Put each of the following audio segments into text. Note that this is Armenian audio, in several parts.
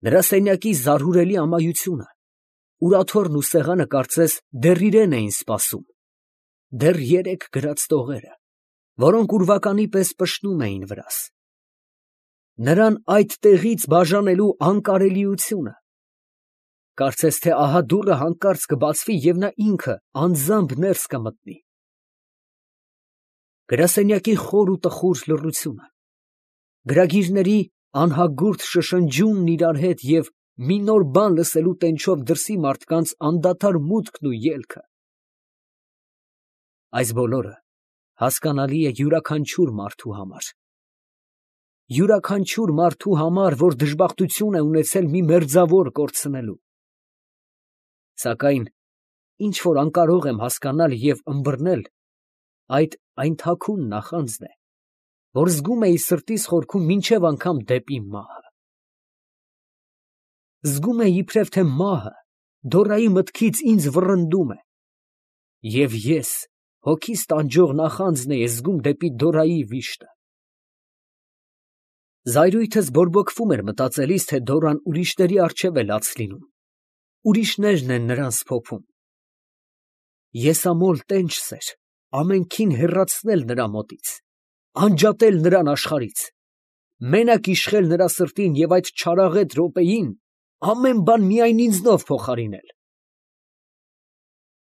Նրա սենյակի զարհուրելի ամայությունը, ուրաթորն ու սեղանը կարծես դեռ իրեն էին սպասում, դեռ երեկ գրած տողերը, որոնք ուրվականի պես պշնում էին վրաս, նրան այդ տեղից բաժանելու անկարելիությունը, կարծես թե ահա դուռը հանկարծ կբացվի և նա ինքը անձամբ ներս կմտնի։ Գրասենյակի խոր ու տխուր լռությունը, գրագիրների անհագուրդ շշնջյունն իրար հետ և մի նոր բան լսելու տենչով դրսի մարդկանց անդադար մուտքն ու ելքը, այս բոլորը հասկանալի է յուրաքանչյուր մարդու համար, որ դժբախտություն է ունեցել մի մերձավոր կորցնելու, սակայն ինչ որ անկարող եմ հասկանալ և ըմբռնել, այդ այն թաքուն նախանձն է, որ զգում էի սրտիս խորքում մինչև անգամ դեպի մահը։ Զգում էի իբրև թե մահը Դորայի մտքից ինձ վռնդում է, և ես հոգիս տանջող նախանձն էի զգում դեպի Դորայի վիշտը։ Զայրույթս բորբոքվում էր մտածելիս, թե Դորան ուրիշների առջև է լաց լինում, ուրիշներն են նրան սփոփում։ Եսամոլ տենչս էր ամենքին հեռացնել նրա մոտից, անջատել նրան աշխարհից, մենակ իշխել նրա սրտին և այդ չարաղետ րոպեին ամեն բան միայն ինձնով փոխարինել։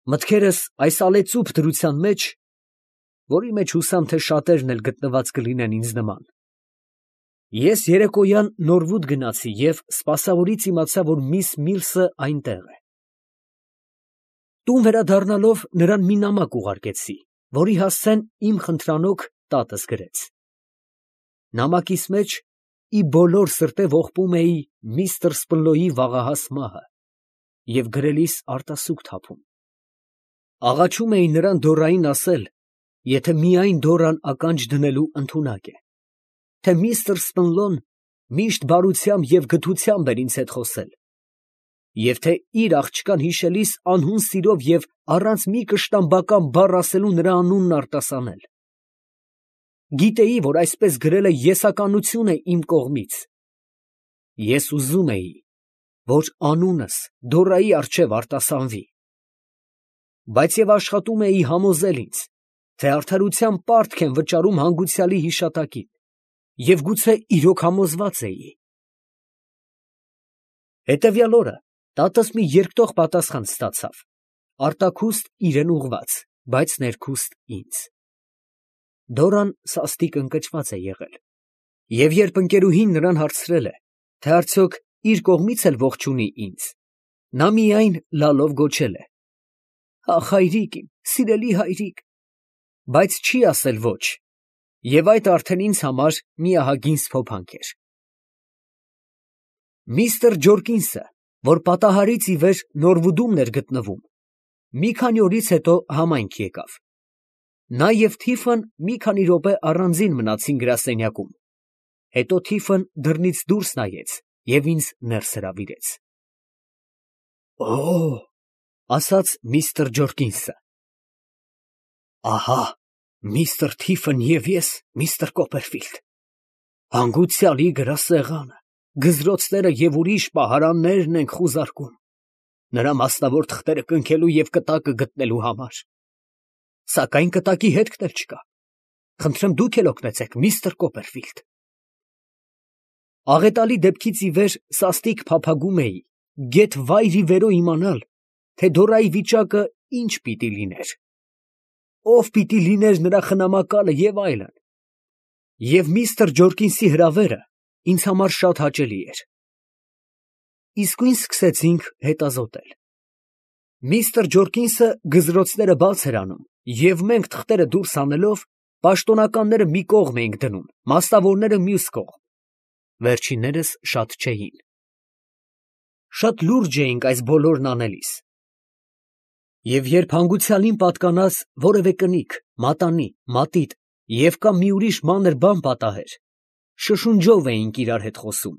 Մտքերս այս ալեծուփ դրության մեջ, որի մեջ հուսամ, թե շատերն էլ գտնված կլինեն ինձ նման, ես երեկոյան Նորվուդ գնացի և սպասավորից իմացա, որ միս Միլսը այնտեղ է։ Տուն վերադառնալով նրան մի նամակ ուղարկեցի, որի հասցեն իմ խնդրանոք տատս գրեց։ Նամակիս մեջ ի բոլոր սրտե ողբում էի միստր Սպլոյի վաղահաս մահը և գրելիս արտասուք թափում։ Աղաչում էի նրան Դորային ասել, եթե միայն Դորան ականջ դնելու ընդունակ է, թե միստր Սպլոն միշտ բարությամբ և գթությամբ էր ինձ հետ խոսել, և թե իր աղջկան հիշելիս անհուն սիրով և առանց մի կշտամբական բառ ասելու նրա անունն արտասանել։ Գիտեի, որ այսպես գրելը եսականություն է իմ կողմից։ Ես ուզում էի, որ անունս Դորայի առջև արտասանվի, բայց և աշխատում էի համոզել ինձ, թե արդարության պարտք եմ վճարում հանգուցյալի հիշատակին, և գուցե իրոք համոզված էի։ Հետևյալ օրը տատս մի երկտող պատասխան ստացավ, արտաքուստ իրան ուղղված, բայց ներքուստ ինձ։ Դորան սաստիկ ընկճված է եղել, և երբ ընկերուհին նրան հարցրել է, թե արդյոք իր կողմից էլ ողջ ունի ինձ, նա միայն լալով գոչել է. «Ախ, հայրիկ իմ, սիրելի հայրիկ», բայց չի ասել ոչ, և այդ արդեն ինձ համար մի ահագին սփոփանք էր։ Միստր Ջորկինսը, որ պատահարից ի վեր Նորվուդումն էր գտնվում, մի քանի օրից հետո համայնք եկավ։ Նա և Թիֆն մի քանի րոպե առանձին մնացին գրասենյակում, հետո Թիֆն դռնից դուրս նայեց և ինձ ներս հրավիրեց։ «Օ՜», ասաց միստր Ջորկինսը, «ահա միստր Թիֆն և ես, միստր Կոպերֆիլդ, հանգուցյալի գրասեղանը, գզրոցները և ուրիշ պահարաններն ենք խուզարկում, նրա մասնավոր թղթերը կնքելու և կտակը գտնելու համար, սակայն կտակի հետքն էլ չկա, խնդրեմ դուք էլ օգնեցեք, միստր Կոպերֆիլդ»։ Աղետալի դեպքից ի վեր սաստիկ փափագում էի, գեթ վայր ի վերո իմանալ, թե Դորայի վիճակը ինչ պիտի լիներ, ով պիտի լիներ նրա խնամակալը և այլն, և միստր Ջորկինսի հրավերը ինձ համար շատ հաճելի էր։ Իսկույն սկսեցինք հետազոտել։ Միստր Ջորկինսը գզրոցները բաց էր անում, և մենք թղթերը դուրս հանելով, պաշտոնյաները մի կողմ էինք դնում, մասնավորները մյուս կողմ, վերջիններս շատ չէին։ Շատ լուրջ էինք այս բոլորն անելիս, և երբ հանգուցյալին պատկանած որևէ կնիկ, մատանի, մատիտ և կամ մի ուրիշ մանր բան պատահեր, շշունջով էինք իրար հետ խոսում։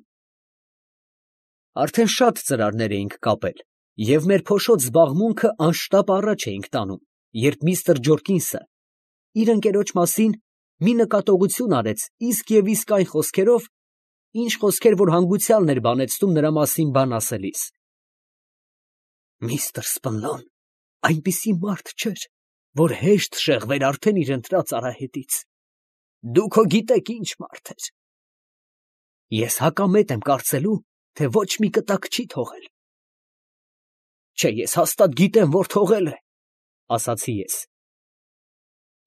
Արդեն շատ ծրարներ էինք կապել, և մեր փոշոտ զբաղմունքը անշտապ առաջ էինք տանում, երբ միստր Ջորկինսը իր ընկերոջ մասին մի նկատողություն արեց իսկ և իսկ այն խոսքերով, ինչ խոսքեր, որ հանգուցյալն էր բանեցնում նրա մասին բան ասելիս։ Միստր Սպնլոն այնպիսի մարդ չէր, որ հեշտ շեղվեր արդեն իր ընտրած արահետից։ Դուք հո գիտեք ինչ մարդ էր։ Ես հակամետ եմ կարծելու, թե ոչ մի կտակ չի թողել։ Չէ, ես հաստատ գիտեմ, որ թողել է, ասացի ես։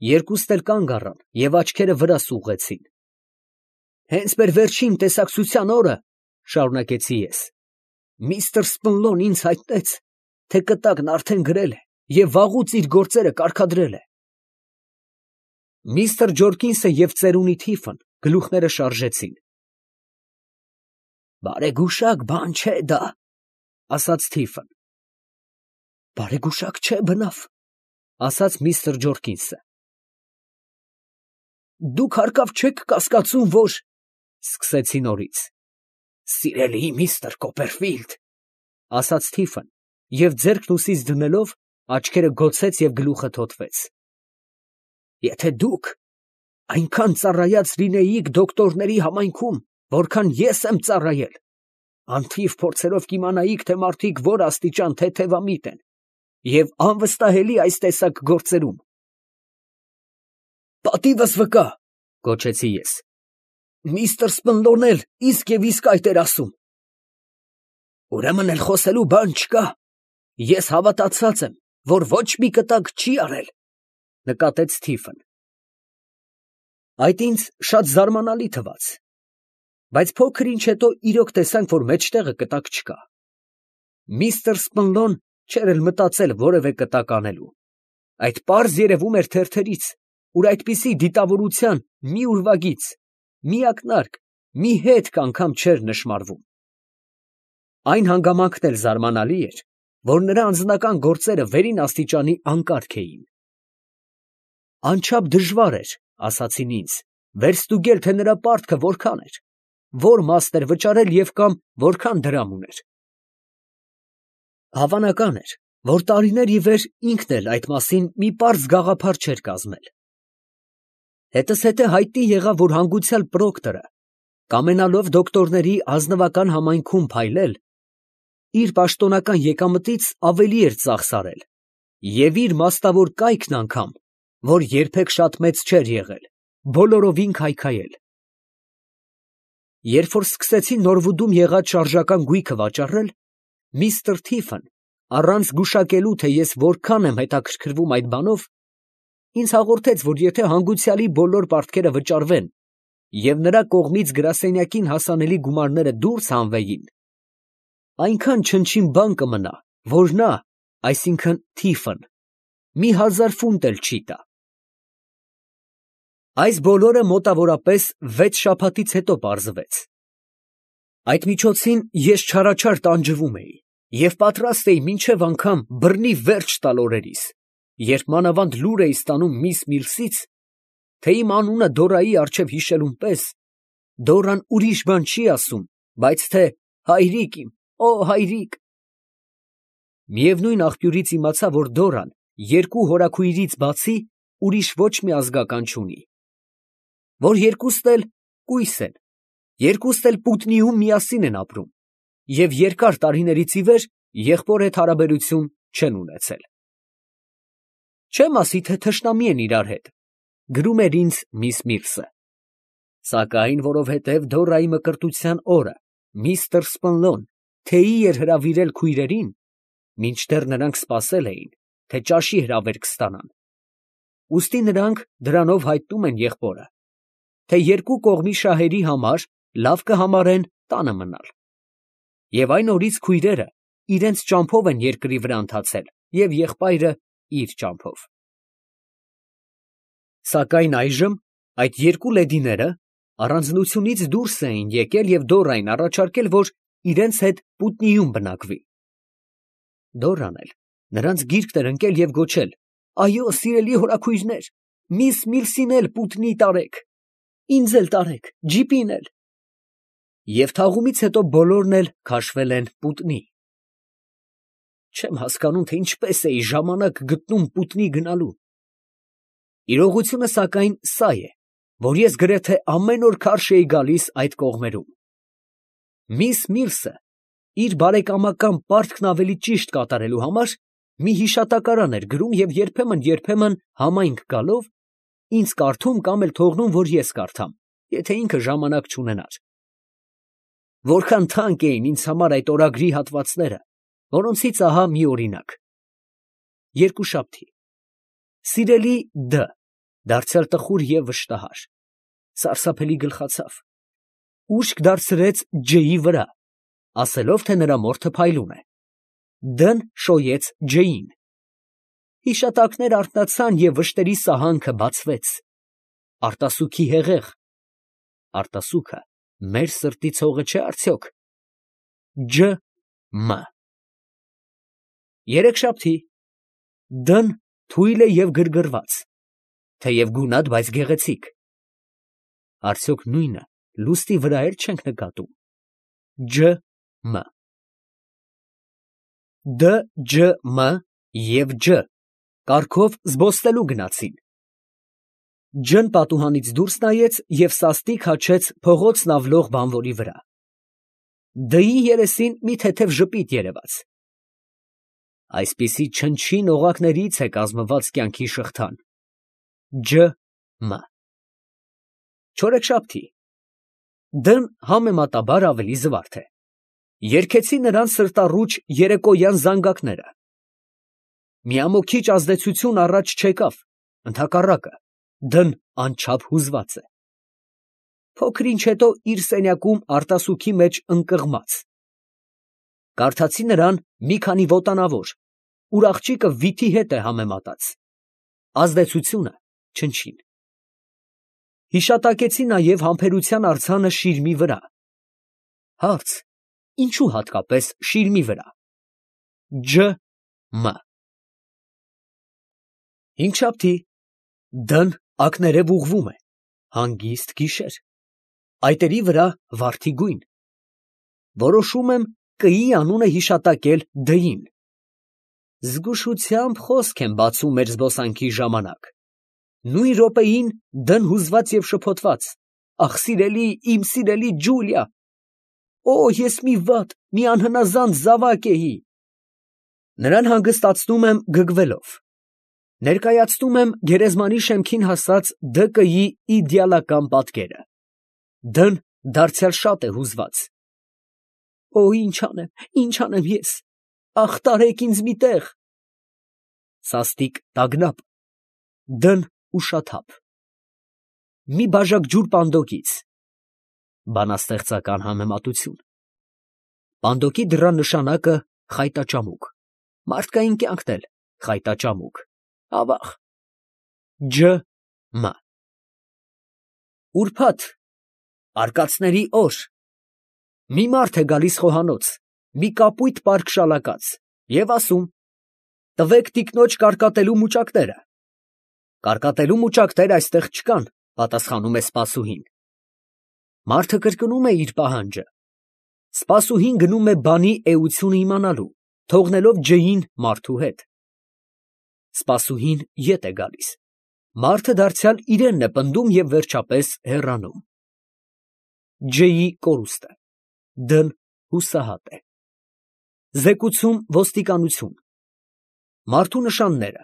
Երկուստ էլ կանգ առան և աչքերը վրաս ուղղեցին։ Հենց մեր վերջին տեսակցության օրը, շարունակեցի ես, միստր Սպնլոն ինձ հայտնեց, թե կտակն արդեն գրել է և վաղուց իր գործերը կարգադրել է։ Միստր Ջորկինսը և ծերունի Թիֆն գլուխները շարժեցին։ Բարեգուշակ բան չէ դա, ասաց Թիֆն։ Բարեգուշակ չէ, բնավ, ասաց միստր Ջորկինսը։ Դուք հարկավ չեք կասկածում, որ… Սկսեցի նորից։ Սիրելի միստր Կոպերֆիլդ, ասաց Թիֆն և ձեռքն ուսից դնելով աչքերը գոցեց և գլուխը թոթվեց։ Եթե դուք այնքան ծառայած լինեիք դոկտորների համայնքում, որքան ես եմ ծառայել, անթիվ փորձերով կիմանայիք, թե մարդիկ որ աստիճան թեթևամիտ են և անվստահելի այս տեսակ գործերում։ Պատիվս վկա, գոչեցի ես։ Միստր Սպնլոն էլ իսկ և իսկ այդ էր ասում։ Ուրեմն էլ խոսելու բան չկա։ Ես հավատացած եմ, որ ոչ մի կտակ չի արել, նկատեց Թիֆն։ Այդ ինձ շատ զարմանալի թվաց, բայց փոքր ինչ հետո իրոք տեսանք, որ մեջտեղը կտակ չկա։ Միստր Սպնլոն չէր էլ մտածել որևէ կտակ անելու։ Այդ պարզ երևում էր թերթերից, ուր այդպիսի դիտավորության մի ուրվագիծ, մի ակնարկ, մի հետք անգամ չէր նշմարվում։ Այն հանգամանքն էլ զարմանալի էր, որ նրա անձնական գործերը վերին աստիճանի անկարգ էին։ Անչափ դժվար էր, ասացին ինձ, վերստուգել, թե նրա պարտքը որքան էր, որ մասն էր վճարել և կամ որքան դրամ ուներ։ Հավանական էր, որ տարիներ ի վեր ինքն էլ այդ մասին մի պարզ գաղափար չէր կազմել։ Հետզհետե հայտնի եղավ, որ հանգուցյալ Պրոկտորը, կամենալով դոկտորների ազնվական համայնքում փայլել, իր պաշտոնական եկամտից ավելի էր ծախսարել և իր մասնավոր կայքն անգամ, որ երբեք շատ մեծ չէր եղել, բոլորովին քայքայել։ Երբ որ սկսեցին Նորվուդում եղած շարժական գույքը վաճառել, միստր Թիֆն, առանց գուշակելու, թե ես որքան եմ հետաքրքրվում այդ բանով, ինձ հաղորդեց, որ եթե հանգուցյալի բոլոր պարտքերը վճարվեն և նրա կողմից գրասենյակին հասանելի գումարները դուրս հանվեին, այնքան չնչին բան կմնա, որ նա, այսինքն Թիֆն, 1000 ֆունտ էլ չի տա։ Այս բոլորը մոտավորապես 6 շաբաթից հետո պարզվեց։ Այդ միջոցին ես չարաչար տանջվում էի և պատրաստ էի մինչև անգամ բռնի վերջ տալ օրերիս, երբ մանավանդ լուր էի ստանում միս Միլսից, թե իմ անունը Դորայի առջև հիշելուն պես, Դորան ուրիշ բան չի ասում, բայց թե հայրիկ իմ, օ հայրիկ։ Միևնույն աղբյուրից իմացա, որ Դորան երկու հորաքույրից բացի ուրիշ ոչ մի ազգական չունի, որ երկուստ էլ կույս են, երկուստ էլ Պուտնիում միասին են ապրում և երկար տարիներից ի վեր եղբոր հետ հարաբերություն չեն ունեցել։ Չեմ ասի, թե թշնամի են իրար հետ, գրում էր ինձ միս Միլսը, սակայն որովհետև Դորայի մկրտության օրը միստր Սպնլոն թեյի էր հրավիրել քույրերին, մինչդեռ նրանք սպասել էին, թե ճաշի հրավերք ստանան, ուստի նրանք դրանով հայտնում են եղբորը, թե երկու կողմի շահերի համար լավ կհամարեն տանը մնալ, և այն օրից քույրերը իրենց ճամփով են երկրի վրա ընթացել և եղբայրը իր ճամփով։ Սակայն այժմ այդ երկու լեդիները առանձնությունից դուրս էին եկել և Դորային առաջարկել, որ իրենց հետ Պուտնիում բնակվի։ Դորան էլ նրանց գիրկն էր ընկել և գոչել. «Այո, սիրելի հորաքույրներ, միս Միլսին էլ Պուտնի տարեք, ինձ էլ տարեք, ջիպին էլ»։ Եվ թաղումից հետո բոլորն էլ քաշվել են Պուտնի։ Չեմ հասկանում, թե ինչպես էի ժամանակ գտնում Պուտնի գնալու։ Իրողությունը սակայն սա է, որ ես գրեթե ամեն օր քարշ էի գալիս այդ կողմերում։ Միս Միլսը իր բարեկամական պարտքն ավելի ճիշտ կատարելու համար մի հիշատակարան էր գրում և երբեմն համայնք գալով ինձ կարդում կամ էլ թողնում, որ ես կարդամ, եթե ինքը ժամանակ չունենար։ Որքան թանկ էին ինձ համար այդ օրագրի հատվածները, որոնցից ահա մի օրինակ. Երկուշաբթի. Սիրելի Դ. դարձյալ տխուր և վշտահար, սարսափելի գլխացավ, ուշք դարձրեց Ջ-ի վրա, ասելով, թե նրա մորթը փայլուն է։ Դ-ն շոյեց Ջ-ին։ Հիշատակներ արթնացան և վշտերի սահանքը բացվեց։ Արտասուքի հեղեղ։ Արտասուքը մեր սրտի ցողը չէ արդյոք։ Ջ-մ. Երեքշաբթի. Դ-ն թույլ է և գրգռված, թեև գունատ, բայց գեղեցիկ։ Արդյոք նույնը լուստի վրա էլ չենք նկատում։ Ջ-մ. Դ, Ջ, Մ և Ջ կարգով զբոսնելու գնացին։ Ջ-ն պատուհանից դուրս նայեց և սաստիկ հաչեց փողոցն ավլող բանվորի վրա։ Դ-ի երեսին մի թեթև ժպիտ երևաց։ Այսպիսի չնչին օղակներից է կազմված կյանքի շղթան։ Ջ-մ. Չորեքշաբթի. Դ-ն համեմատաբար ավելի զվարթ է։ Երգեցի նրան սրտառուչ երեկոյան զանգակները։ Միամոքիչ ազդեցություն առաջ չեկավ, ընդհակառակը, Դ-ն անչափ հուզված է։ Փոքր ինչ հետո իր սենյակում արտասուքի մեջ ընկղմած։ Կարդացի նրան մի քանի ոտանավոր, ուր աղջիկը վիթի հետ է համեմատած։ Ազդեցությունը չնչին։ Հիշատակեցի նաև համբերության արձանը շիրմի վրա։ Հարց. ինչու հատկապես շիրմի վրա։ Ջ-մ. Հինգշաբթի. Դ-ն ակներև ուղղվում է, հանգիստ գիշեր, այտերի վրա վարդի գույն։ Որոշում եմ Կ-ի անունը հիշատակել Դ-ին։ Զգուշությամբ խոսք եմ բացում մեր զբոսանքի ժամանակ։ Նույն րոպեին Դ-ն հուզված և շփոթված. Ախ, սիրելի, իմ սիրելի Ջուլիա, օ, ես մի վատ, մի անհնազանդ զավակ էի։ Նրան հանգստացնում եմ գգվելով։ Ներկայացնում եմ գերեզմանի շեմքին հասած Դ-ի իդեալական պատկերը։ Դ-ն դարձյալ շատ է հուզված։ Օ, ինչ անեմ ես, ախ, տարեք ինձ մի տեղ։ Սաստիկ տագնապ, Դ-ն ուշաթափ։ Մի բաժակ ջուր պանդոկից։ Բանաստեղծական համեմատություն։ Պանդոկի դռան նշանակը խայտաճամուկ, մարդկային կյանքն էլ խայտաճամուկ, ավաղ։ Ջ-մ. Ուրբաթ, արկածների օր, մի մարդ է գալիս խոհանոց, մի կապույտ պարկ շալակած, և ասում. տվեք տիկնոջ կարկատելու մուճակները։ Կարկատելու մուճակներ այստեղ չկան, պատասխանում է սպասուհին։ Մարդը կրկնում է իր պահանջը։ Սպասուհին գնում է բանի էությունը իմանալու, թողնելով Ջ-ին մարդու հետ։ Սպասուհին ետ է գալիս։ Մարդը դարձյալ իրենն է պնդում և վերջապես հեռանում։ Ջ-ի կորուստը։ Դ-ն հուսահատ է։ Զեկուցում ոստիկանություն։ Մարդու նշանները.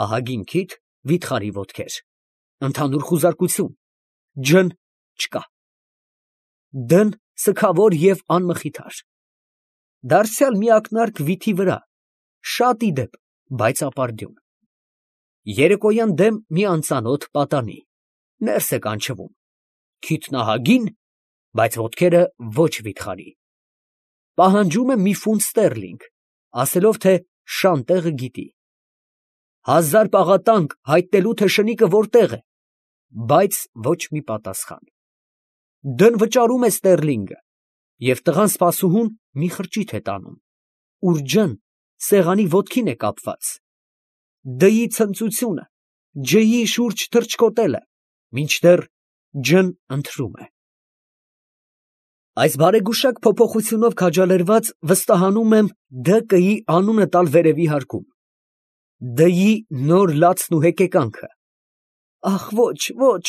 ահագին քիթ, վիթխարի ոտքեր։ Ընդհանուր խուզարկություն։ Ջ-ն չկա։ Դ-ն սգավոր և անմխիթար։ Դարձյալ մի ակնարկ վիթի վրա, շատ ի դեպ, բայց ապարդյուն։ Երեկոյան դեմ մի անծանոթ պատանի, ներս է կանչվում, քիթն ահագին, բայց ոտքերը ոչ վիթխարի։ Պահանջում է մի ֆունտ ստերլինգ, ասելով, թե շան տեղը գիտի։ 1000 պաղատանկ հայտնելու, թե շնիկը որտեղ է, բայց ոչ մի պատասխան։ Դ-ն վճարում է ստերլինգը, և տղան սպասուհուն մի խրճիթ է տանում, ուր Ջ-ն սեղանի ոտքին է կապված։ Դ-ի ցնծությունը, Ջ-ի շուրջ թռչկոտելը, մինչդեռ Ջ-ն ընթրում է։ Այս բարեգուշակ փոփոխությունով քաջալերված վստահանում եմ Դ-ի անունը տալ վերևի հարկում։ Դ-ի նոր լացն ու հեկեկանքը։ Ախ, ոչ,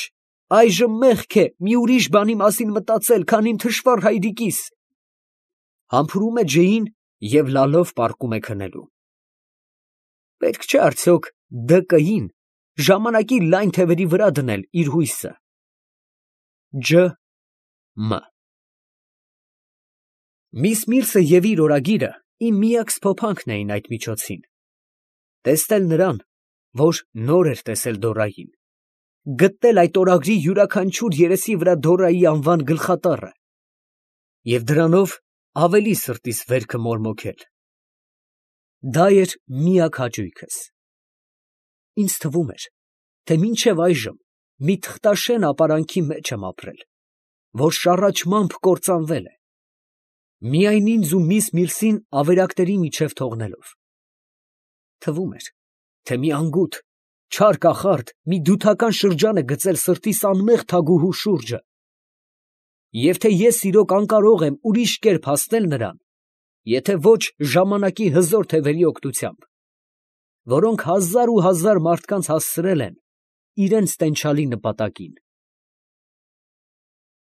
այժմ մեղք է մի ուրիշ բանի մասին մտածել, քան իմ թշվառ հայրիկիս։ Համբուրում է ջեին և լալով պառկում է քնելու։ Պետք չէ արդյոք ԴԿ֊ին ժամանակի լայն թևերի վրա դնել իր հույսը։ Ջ. Մ. Միս Միրսը և իր օրագիրը իմ միակ սփոփանքն էին այդ միջոցին. տեսնել նրան, որ նոր էր տեսել Դորային, գտնել այդ օրագրի յուրաքանչյուր երեսի վրա Դորայի անվան գլխատառը և դրանով ավելի սրտիս վերքը մորմոքել։ Դա էր միակ հաճույքս։ Ինձ թվում էր, թե մինչև այժմ մի թղթաշեն ապարանքի մեջ եմ ապրել, որ շառաչմամբ կործանվել է, միայն ինձ ու միս Միրսին ավերակների միջև թողնելով։ Թվում էր, թե մի անգութ, չար կախարդ մի դութական շրջան է գծել սրտիս անմեղ թագուհու շուրջը, և թե ես իրոք անկարող եմ ուրիշ կերպ հասնել նրան, եթե ոչ ժամանակի հզոր թևերի օգնությամբ, որոնք հազար ու հազար մարդկանց հասցրել են իրանց տենչալի նպատակին։